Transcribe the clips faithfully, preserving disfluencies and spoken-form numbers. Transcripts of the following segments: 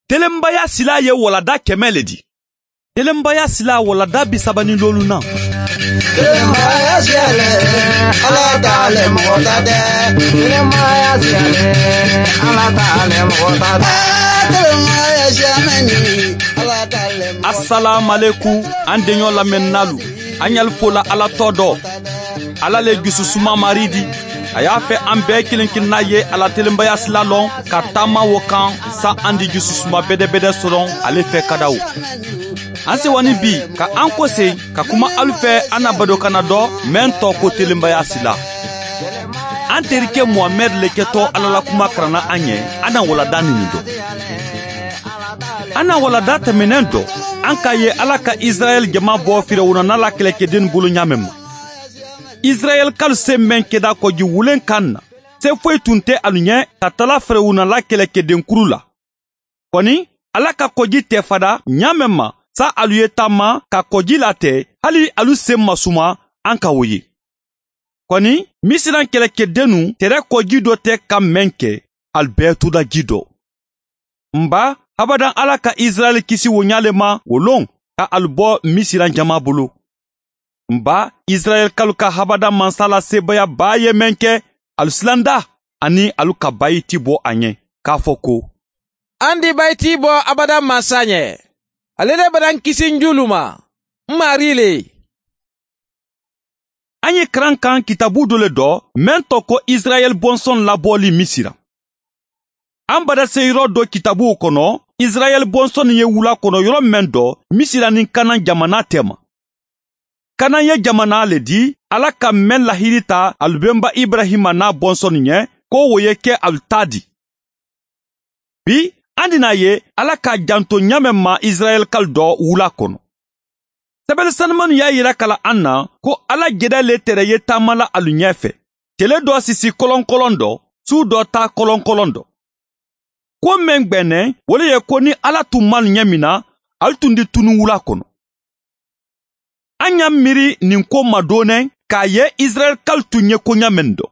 Telenbaya sila ye walada kɛmɛ le di. Telenbaya sila walada bi saba ni loolu na. Telenbaya siyale, Ala t'ale mɔgɔ ta tɛ. Telenbaya siyale, Ala t'ale mɔgɔ ta tɛ. Telenbaya siyamɛni, Ala t'ale mɔgɔ ta tɛ. Assalamu alaikum, an deɲɔ lamɛnnalu. An y'al fola Ala tɔ dɔ. Ala le jususuma mari di. A y'a fɛ an bɛɛ kelen kelenna ye Ala telenbaya sila lɔn ka taama wo kan sa an di jususuma bɛdɛbɛdɛ sɔrɔ ale fɛ kadaw. An sewani bi ka an kɔse ka kuma alu fɛ an na badokana dɔ mɛn tɔ ko telenbaya sila. An terikɛ Muhamɛd le kɛtɔ Ala la kuma karanna an ɲɛ an na walada nin dɔ. An na walada tɛmɛnɛn dɔ, an k'a ye Ala ka Israɛl jama bɔ Firawuna n'a la kɛlɛkɛden bolo ɲa mɛn ma. Israɛl kalu se mɛn kɛda kɔji wulen kan na, se foyi tun tɛ alu ɲɛ ka tala Firawuna la kɛlɛkɛdenkuru la. Kɔni Ala ka kɔji tɛ fada ɲa mɛn ma sa alu ye taama ka kɔji latɛ hali alu sen masuma, an ka o ye. Kɔni Misiran kɛlɛkɛdennu tɛrɛ kɔji dɔ tɛ ka mɛn kɛ, alu bɛɛ toda ji dɔ. Nba abadan Ala ka Israɛl kisi wo ɲa le ma o lon ka alu bɔ Misiran jama bolo. Nba Israɛl kalu ka habada mansa la sebaya ba ye mɛn kɛ, alu silanda ani alu ka bayiti bɔ a ɲɛ k'a fɔ ko an di bayiti bɔ abada mansa ɲɛ. Ale de b'an kisi njulu ma. N mari le. An ye karan kan kitabu dɔ le dɔ mɛn tɔ ko Israɛl bɔnsɔn labɔli Misira. An bada se yɔrɔ dɔ kitabuw kɔnɔ, Israɛl bɔnsɔn ye wula kɔnɔ yɔrɔ mɛn dɔ Misira ni Kanan jamana tɛma. Kanan ye jamana le di Ala ka mɛn lahiri ta alu bɛnba Ibrahima n'a bɔnsɔn ɲɛ ko o ye kɛ alu ta di. Bi an dina ye Ala ka janto ɲa mɛn ma Israɛl kal dɔ wula kɔnɔ. Sɛbɛnni sanumanu y'a yira kala an na ko Ala jɛdɛ le tɛrɛ ye taama la alu ɲɛfɛ. Tele dɔ sisi kɔlɔnkɔlɔn dɔ, su dɔ ta kɔlɔnkɔlɔn dɔ. Ko mɛn gbɛnɛ, o le ye ko ni Ala tun ma ɲɛ min na, alu tun di tunu wula kɔnɔ. An y'a miiri nin ko ma doonɛ k'a ye Israɛl kal tun ye ko ɲa mɛn dɔ.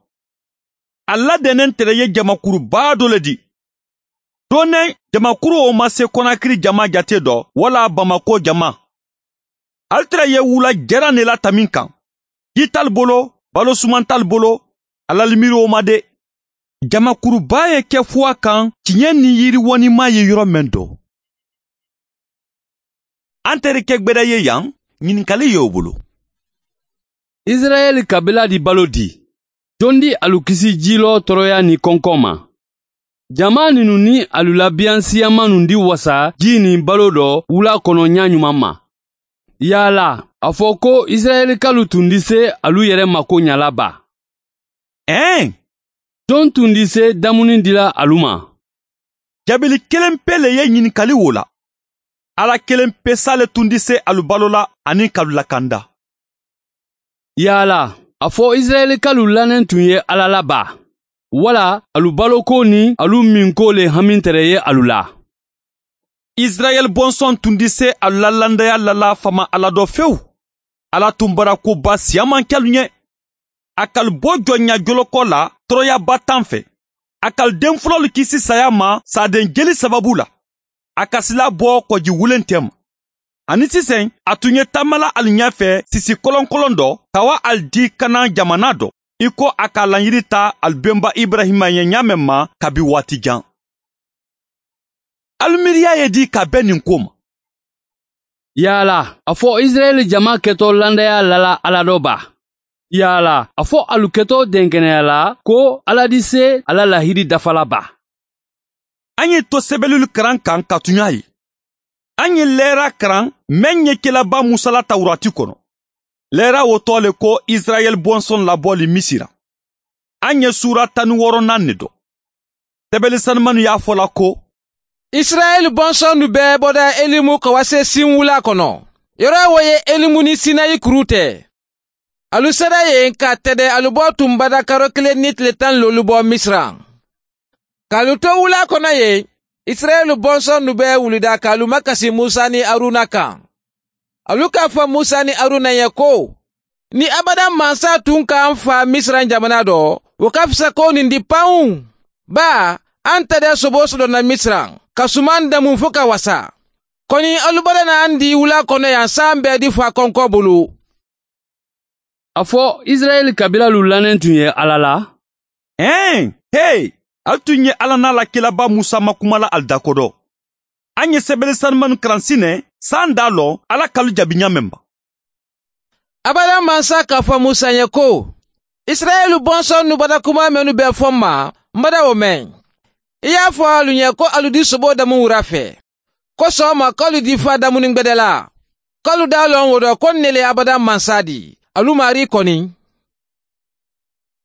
A ladɛnnen tɛrɛ ye jamakuruba dɔ le di. Doonɛ jamakuru o ma se Kɔnakiri jama jate dɔ wala Bamako jama. Alu tɛrɛ ye wula jɛra ne la tamin kan. Ji t'alu bolo, balo suman t'alu bolo, Ala miiri o ma de. Jamakuruba ye kɛ fuwa kan tiɲɛ ni yiriwɔnima ye yɔrɔ mɛn dɔ. An terikɛ gbɛdɛ ye yan, ɲininkali y'o bolo. Israɛl kabila di balo di. Jɔn di alu kisi jilɔ tɔɔrɔya ni kɔnkɔn ma? Jama ninu ni alu labiyan siyama nun di wasa ji ni balo dɔ wula kɔnɔ ɲa ɲuman ma. Yala, a fɔ ko Israɛlikalu tun di se alu yɛrɛ mako ɲala ba? Ɛn! Jɔn tun di se damuni dila alu ma? Jabili kelen pe le ye ɲininkali wo la. Ala kelen pe sa le tun di se alu balo la ani k'alu lakanda. Yala, a fɔ Israɛlikalu lanen tun ye Ala la ba? Wala alu baloko ni alu minko le hami tɛrɛ ye alu la? Israɛl bɔnsɔn tun di se alu la landaya lala fama Ala dɔ fewu. Ala tun bara koba siyaman kɛlu ɲɛ. A k'alu bɔ jɔnya jolokɔ la tɔɔrɔyaba tan fɛ. A k'alu den fɔlɔlu kisi saya ma saden jeli sababu la. A ka sila bɔ kɔji wulen tɛ ma. Ani sisan a tun ye taamala alu ɲɛfɛ sisi kɔlɔnkɔlɔn dɔ ka wa alu di Kanan jamana dɔ. I ko a ka laɲini ta alu bɛnba Ibrahima ye ɲa mɛn ma kabi waati jan. Alu miiriya ye di ka bɛn nin ko ma? Yala, a fɔ Israɛl jama kɛtɔ landaya lala Ala dɔ ba? Yala, a fɔ alu kɛtɔ dɛnkɛnɛya la ko Ala di se ala lahidi dafala ba? An ye to sɛbɛnniw karan kan ka tun y'a ye. An ye lɛra karan mɛn ɲɛkɛlaba Musa la Tawurati kɔnɔ. Lɛra o tɔ le ko Israɛl bɔnsɔn labɔli Misira. An ye sura tan ni wɔɔrɔnan de dɔn. Sɛbɛnni sanumanu y'a fɔ la ko Israɛl bɔnsɔn bɛɛ bɔda Elimu ka wa se Sin wula kɔnɔ. Yɔrɔ wo ye Elimu ni Sinayi kuru tɛ. Alu sera yen ka tɛdɛ alu bɔ tun bada karo kelen ni tile tan lolu bɔ Misira. K'alu to wula kɔnɔ yen, Israɛl bɔnsɔn bɛɛ wulida k'alu makasi Musa ni Aruna kan. Alu k'a fɔ Musa ni Aruna ye ko, ni abada mansa tun k'an fa Misira jamana dɔ, o ka fisa ko nin di panw. Ba, an tɛ dɛ sobo sɔrɔ na Misira. ka suman damu fo ka wasa. Kɔni alu bada na an di wula kɔnɔ yan san bɛɛ di fa kɔnkɔ bolo. A fɔ Israɛl kabilalu lanen tun ye Ala la? Ɛn, hey, al tun ye Ala n'a la kilaba Musa makumala al da dɔ. An ye sɛbɛnni sanumanu karansi nɛ san da lɔ Ala kalu jaabi ɲa mɛn ba. Abada mansa k'a fɔ Musa ye ko, Israɛl bɔnsɔn nu bada kuma mɛnu bɛɛ fɔ n ma, n bada o mɛn. I y'a fɔ alu ɲɛ ko alu di sobo damu wura fɛ. Ko sɔgɔma k'alu di fa damuni gbɛdɛ la. K'alu d'a lɔn o dɔ ko ne le abada mansa di. Alu mari kɔni.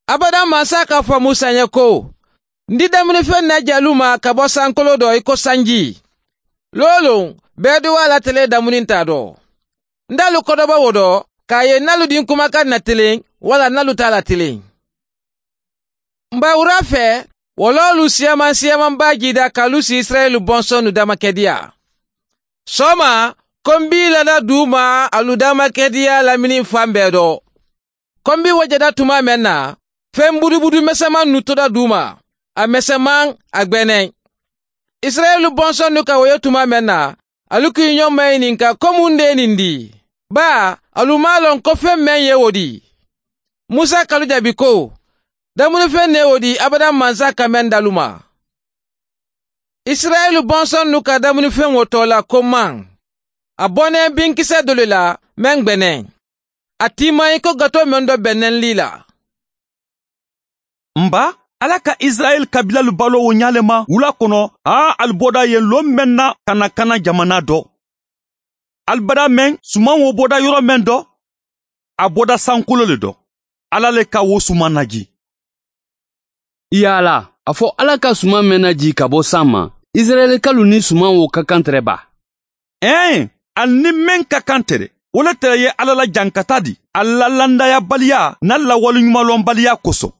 Abada mansa k'a fɔ Musa ye ko, n di damunifɛn na jalu ma ka bɔ sankolo dɔ i ko sanji. Lolo, bɛɛ di wa la tele damuni t'a dɔ. N d'alu kɔdɔbɔ o dɔ, k'a ye n'alu di kumakan na telen, wala n'alu t'a la telen. Nba wura fɛ, wɔlɔlu siyaman siyaman ba jida k'alu si Israɛl bɔnsɔn nu damakɛdiya. Sɔma, ko n b'i lada du ma alu damakɛdiya lamini fan bɛɛ dɔ. Ko n bi wajada tuma mɛn na, fɛn budubudu mɛsɛman nu toda du ma, a mɛsɛman a gbɛnɛ. Israɛl bɔnsɔn nu ka woyo tuma mɛn na, alu k'i ɲɔgɔn maɲininka ko mun de ye nin di? Ba, alu m'a lɔn ko fɛn mɛn ye o di. Musa kalu jaabi ko, damunifɛn ne o di abada mansa ka mɛn dalu ma. Israɛl bɔnsɔn nu ka damunifɛn wo tɔ la ko man. A bɔnɛ binkisɛ dɔ le la mɛn gbɛnɛ. A tima i ko gato mɛn dɔ bɛnnɛn li la. Nba, Ala ka Israɛl kabilalu balo o ɲale ma wula kɔnɔ, a al bɔda yen lon mɛn na ka na kana jamana dɔ. Al bada mɛn suman wo bɔda yɔrɔ mɛn dɔ, a bɔda sankolo le dɔ. Ala le ka wo suman naji. Yala, a fɔ Ala ka suman mɛn naji ka bɔ san ma, Israɛlikalu ni suman wo ka kan tɛrɛ ba. Ɛn, al ni mɛn ka kan tɛrɛ, o le tɛrɛ ye Ala la jankata di, al la landayabaliya n'a la waleɲumanlɔnbaliya kosɔn.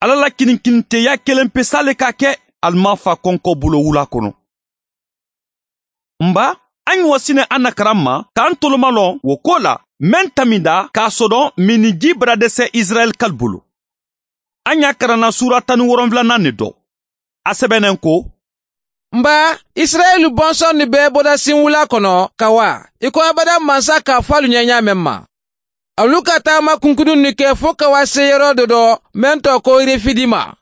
Ala la kininkininteya kelen pe sale ka kɛ al ma fa kɔnkɔ bolo wula kɔnɔ. Nba, an ye wasinɛ an na karan ma k'an toloma lɔn wo ko la mɛn taminda k'a sɔdɔn miniji bara dɛsɛ Israɛl kal bolo. An y'a karanna sura tan ni wɔrɔnfilanan ne dɔ. A sɛbɛnnen ko, Nba, Israɛl bɔnsɔn ni bɛɛ bɔda sin wula kɔnɔ ka wa, i ko abada mansa k'a fɔ alu ɲɛ ɲa mɛn ma. Alu ka taama kunkunu ni kɛ fo ka wa se yɔrɔ dɔ dɔ mɛn tɔ ko Refidi ma.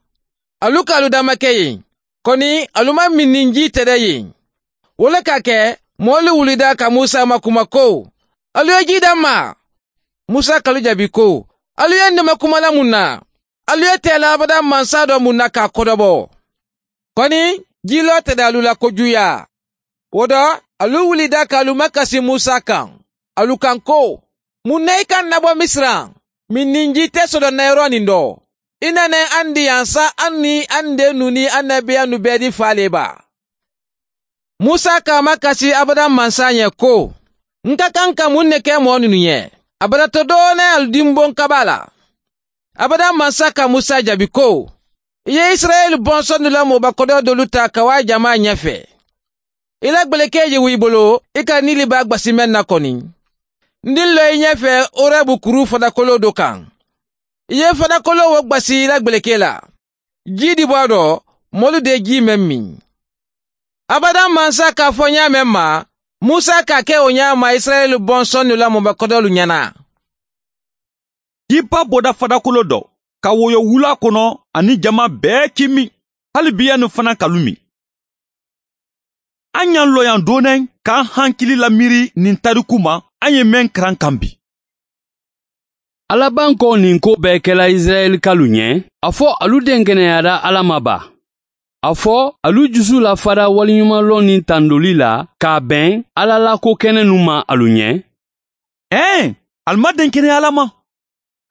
Alu ka alu dama kɛ yen. Kɔni alu ma min ji tɛ dɛ yen. O le ka kɛ mɔɔlu wulida ka Musa ma kuma ko, alu ye ji d'an ma. Musa kalu jaabi ko, alu ye ne ma kuma la mun na? Alu ye tɛla abada mansa dɔ mun na k'a kɔdɔbɔ? Kɔni jilɔ tɛ da alu la kojuya. O dɔ, alu wulida k'alu makasi Musa kan. Alu kan ko, mun na i ka nabɔ Misira? Min ni ji tɛ sɔrɔ na yɔrɔ nin dɔ. I nana an di yan sa an ni an den nu ni an nabiya nu bɛɛ di fa le ba. Musa k'a makasi abada mansa ɲɛ ko, n ka kan ka mun de kɛ mɔɔ ninnu ye? A bara to dɔɔnin alu dinbon kaba la. Abada mansa ka Musa jaabi ko, i ye Israɛl bɔnsɔn nu la mɔbakɔdɔ dolu ta ka wa jama ɲɛfɛ. I la gbɛlɛkɛ ye i bolo, i ka nili b'a gbasi mɛn na kɔni. N di lɔ i ɲɛfɛ Orɛbu kuru fadakolo dɔ kan. I ye fadakolo wo gbasi i la gbɛlɛkɛ la. Ji di bɔ a dɔ, mɔlu de ji mɛn min. Abada mansa k'a fɔ ɲa mɛn ma, Musa k'a kɛ o ɲa ma Israɛl bɔnsɔn nu la mɔbakɔdɔlu ɲɛna. Jiba bɔda fadakolo dɔ, ka woyo wula kɔnɔ ani jama bɛɛ k'i min, hali biya ni fana kalu min. An y'an lɔ yan dɔɔnin k'an hankili lamiiri nin tariku ma, an ye mɛn karan kan bi. Alaban kɔ nin ko bɛɛ kɛla Israɛlikalu ɲɛ, a fɔ alu den kɛnɛyara Ala ma ba. A fɔ alu jusu lafara waleɲumanlɔn ni tandoli la k'a bɛn Ala la ko kɛnɛ nu ma alu ɲɛ. Ɛn, alu ma den kɛnɛya Ala ma.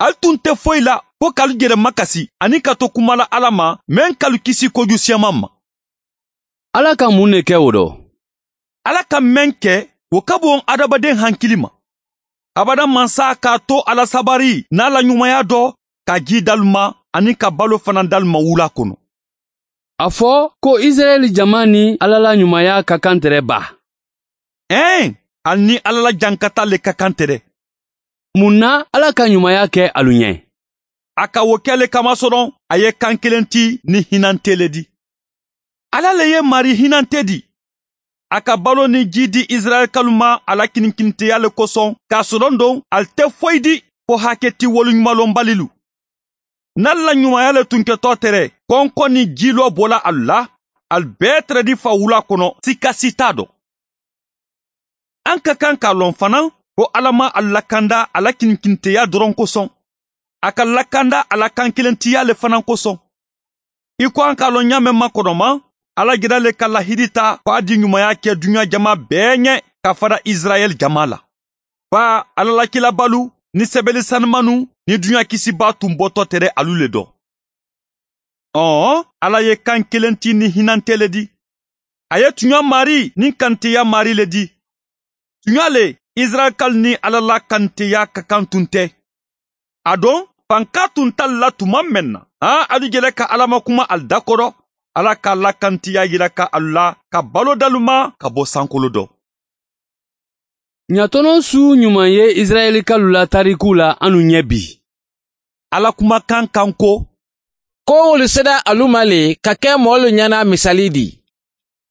Alu tun tɛ foyi la ko k'alu yɛrɛ makasi ani ka to kuma la Ala ma mɛn k'alu kisi kojugu siyaman ma. Ala ka mun de kɛ o dɔ? Ala ka mɛn kɛ o ka bon adamaden hankili ma. Abada mansa k'a to Ala sabari n'a la ɲumanya dɔ ka ji d'alu ma ani ka balo fana d'alu ma wula kɔnɔ. A fɔ ko Israɛl jama ni Ala la ɲumanya ka kan tɛrɛ ba. Ɛn, ali ni Ala la jankata le ka kan tɛrɛ. Mun na Ala ka ɲumanya kɛ alu ɲɛ? A ka wo kɛle kamasɔrɔ a ye kan kelen ti ni hinɛ tele di. Ala le ye mari hinante di. A ka balo ni ji di Israɛlkalu ma a la kininkinteya le kosɔn, k'a sɔrɔ don ali tɛ foyi di ko hakɛ ti woloɲumanlɔnbalilu. N'al la ɲumanya le tun kɛtɔ tɛrɛ, kɔnkɔn ni jilɔ bɔla alu la, al bɛɛ tɛrɛ di fa wula kɔnɔ, sika si t'a dɔn. An ka kan k'a lɔn fana ko Ala ma a lakanda a la kininkinteya dɔrɔn kosɔn. A ka lakanda a la kan kelentiya le fana kosɔn. I ko an k'a lɔn ɲa mɛn ma kɔnɔma, Ala jira le ka lahidi ta ko a di ɲumanya kɛ dunuya jama bɛɛ ɲɛ ka fara Israɛl jama la. Ba Ala la kilabalu ni sɛbɛli sanumanu ni dunuya kisiba tun bɔtɔ tɛrɛ alu le dɔ. Ɔn, Ala ye kan kelen ti ni hinante le di. A ye tuɲa mari ni kanteya mari le di. Tuɲa le Israɛl ni Ala la kanteya ka kan tun tɛ. A don fanka tun t'al la tuma mɛn na. Han, alu jɛlɛ ka Ala ma kuma al da kɔrɔ. Ala ka la kantiya yira ka alu la ka balo dalu ma ka bɔ sankolo dɔ. Ɲatɔnɔ su ɲuman ye Israɛlikalu la tariku la anu ɲɛ bi. Ala kumakan kan ko ko wolu sera alu ma le ka kɛ mɔɔlu ɲɛna misali di.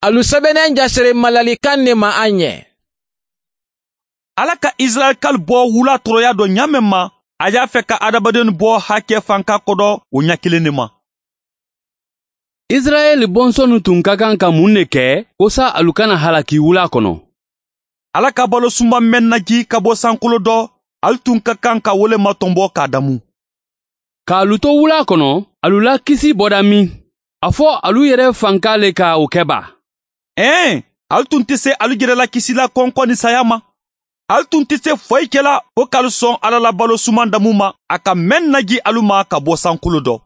Alu sɛbɛnnen jasere malalikan ne ma an ɲɛ. Ala ka Israɛlikalu bɔ wula tɔrɔya dɔ ɲa mɛn ma, a y'a fɛ ka adamaden bɔ hakɛ fanka kɔdɔ o ɲɛ kelen ne ma. Israɛl bɔnsɔnnu tun ka kan ka mun de kɛ kosa alu kana halaki wula kɔnɔ? Ala ka balo suma mɛn naji ka bɔ sankolo dɔ, alu tun ka kan ka wole matɔnbɔ k'a damu. K'alu to wula kɔnɔ, alu la kisi bɔda min? A fɔ alu yɛrɛ fanka le ka o kɛ ba? Ɛn, alu tun tɛ se alu yɛrɛ la kisi la kɔnkɔn ni saya ma. Alu tun tɛ se foyi kɛla fo k'alu sɔn Ala la balo suman damu ma, a ka mɛn naji alu ma ka bɔ sankolo dɔ.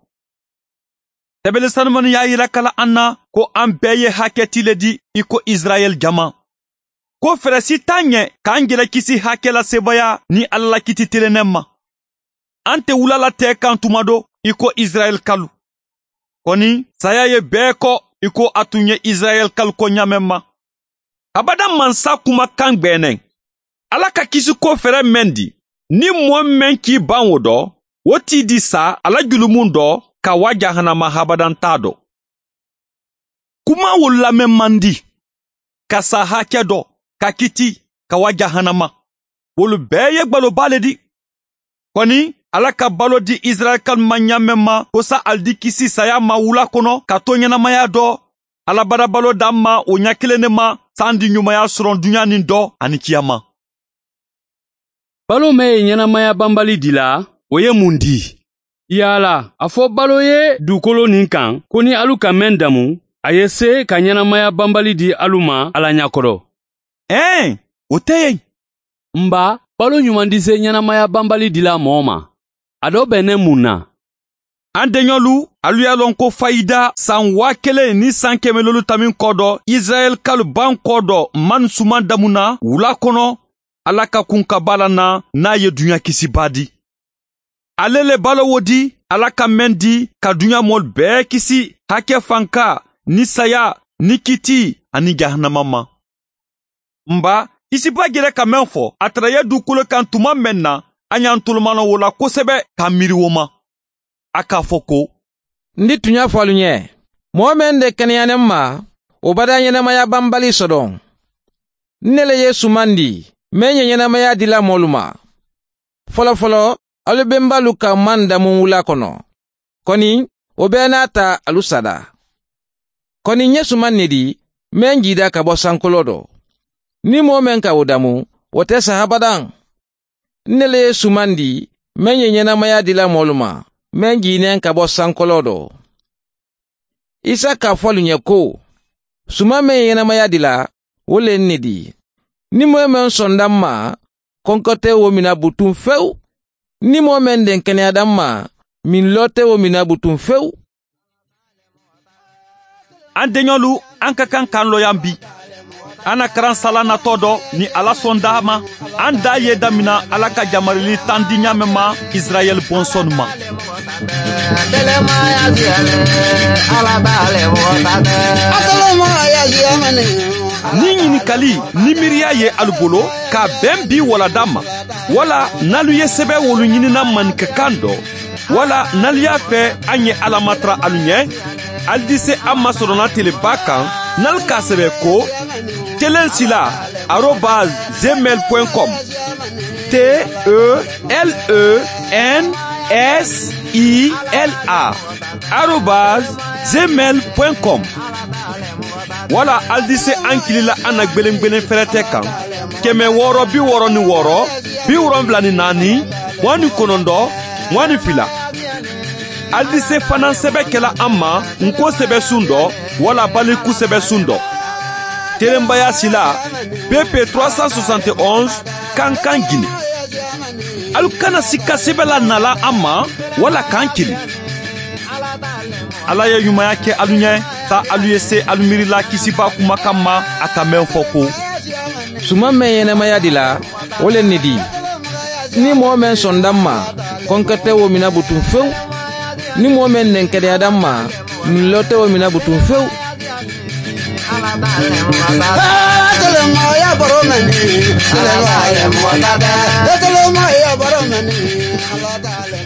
Sɛbɛnni sanumani y'a yira kala an na ko an bɛɛ ye hakɛti le di i ko Israɛl jama. Ko fɛɛrɛ si t'an ɲɛ k'an yɛrɛ kisi hakɛ la sebaya ni Ala la kiti telennɛ ma. An tɛ wula la tɛ kan tuma dɔ i ko Israɛl kalu. Kɔni saya ye bɛɛ kɔ i ko a tun ye Israɛl kalu kɔ ɲa mɛn ma. Abada mansa kumakan gbɛnɛ. Ala ka kisi ko fɛɛrɛ mɛn di, ni mɔɔ mɛn k'i ban o dɔ, o t'i di sa ala julumun dɔ ka wa jahanama habadan t'a dɔ. Kuma wo lamɛn man di, ka sa hakɛ dɔ, ka kiti, ka wa jahanama. Wolu bɛɛ ye gbaloba le di. Kɔni Ala ka balo di Israɛl ma ɲa mɛn ma ko sa ali di kisi saya ma wula kɔnɔ ka to ɲɛnamaya dɔ. Ala bara balo d'an ma o ɲɛ kelen ne ma san di ɲumanya sɔrɔ dunuya nin dɔ ani kiyama. Balo mɛn ye ɲɛnamaya banbali di la, o ye mun di? Yala, a fɔ balo ye dugukolo nin kan ko ni alu ka mɛn damu, a ye se ka ɲɛnamaya banbali di alu ma Ala ɲakɔrɔ. Ɛn, o tɛ yen. Nba, balo ɲuman di se ɲɛnamaya banbali di la mɔɔ ma. A dɔ bɛnnen mun na? An deɲɔlu, alu y'a lɔn ko fayida san waa kelen ni san kɛmɛ lolu tamin kɔ dɔ, Israɛl kalu ban kɔ dɔ man suman damu na wula kɔnɔ, Ala ka kun ka ba la na n'a ye dunuya kisiba di. Ale le balo wo di, Ala ka mɛn di ka dunuya mɔl bɛɛ kisi hakɛ fanka ni saya ni kiti ani jahanama ma. Nba, kisiba jɛrɛ ka mɛn fɔ, a tɛrɛ ye dugukolo kan tuma mɛn na, an y'an tolomanɔ wo la kosɛbɛ k'a miiri wo ma. A k'a fɔ ko N di tun y'a fɔ alu ɲɛ, mɔgɔ mɛn de kɛnɛyanen ma, o bada ɲɛnamaya banbali sɔdɔn. Ne le ye suman di, mɛn ye ɲɛnamaya dila mɔlu ma. Fɔlɔ fɔlɔ, alu bɛnbalu ka man damu wula kɔnɔ. Kɔni, o bɛɛ n'a ta alu sada. Kɔni n ye suman ne di, mɛn jida ka bɔ sankolo dɔ. Ni mɔgɔ mɛn ka o damu, o tɛ sa abadan. Ne le ye suman di, mɛn ye ɲɛnamaya dila mɔlu ma, mɛn jinen ka bɔ sankolo dɔ. Isa k'a fɔ alu ɲɛ ko, suman mɛn ye ɲɛnamaya dila, o le ne di. Ni mɔgɔ mɛn sɔnda n ma, kɔnkɔ tɛ o mina butun fewu. Ni mɔgɔ mɛn den kɛnɛyada n ma, min lɔ tɛ o mina butun fewu. An deɲɔlu, an ka kan k'an lɔ yan bi. An na karan sala natɔ dɔ ni Ala sɔn d'a ma, an da ye damina Ala ka jamarili tan di ɲa mɛn ma Israɛl bɔnsɔn ma. Ni ɲininkali ni miiriya ye alu bolo ka bɛn bi walada ma, wala n'alu ye sɛbɛn wolu ɲinina maninkakan dɔ, wala n'alu y'a fɛ an ye Ala matara alu ɲɛ, Alu di se an masɔrɔna teleba kan n'alu k'a sɛbɛ ko telensila arobase gmail point com T E L E N S I L A arobase gmail point com. Wala alu di se an kilila an na gbelengbelen fɛrɛtɛ kan kɛmɛ wɔɔrɔ bi wɔɔrɔ ni wɔɔrɔ bi wolonfila ni naani mugan ni kɔnɔntɔn mugan ni fila. Alu di se fana sɛbɛ kɛla an ma nko sɛbɛsun dɔ wala baliku sɛbɛsun dɔ. Telenbaya sila P P trois cent soixante et onze Kankan Guinée. Alu kana sika sɛbɛ la nala an ma wala k'an kili. Ala ye ɲumanya kɛ alu ɲɛ ta alu ye se alu miirila kisiba kumakan ma a ka mɛn fɔ ko. Suman mɛn ɲɛnɛmaya di la, o le nin di. Ni mɔgɔ mɛn sɔnda ma, kɔnkɛ tɛ wo mina butun fewu. Ni mɔgɔ mɛn nɛnkɛdɛyada ma, nulɔ tɛ wo mina butun fewu. Telemaya baro mɛni, telemaya mɔgɔ ta tɛ. Telemaya baro mɛni, ala t'ale.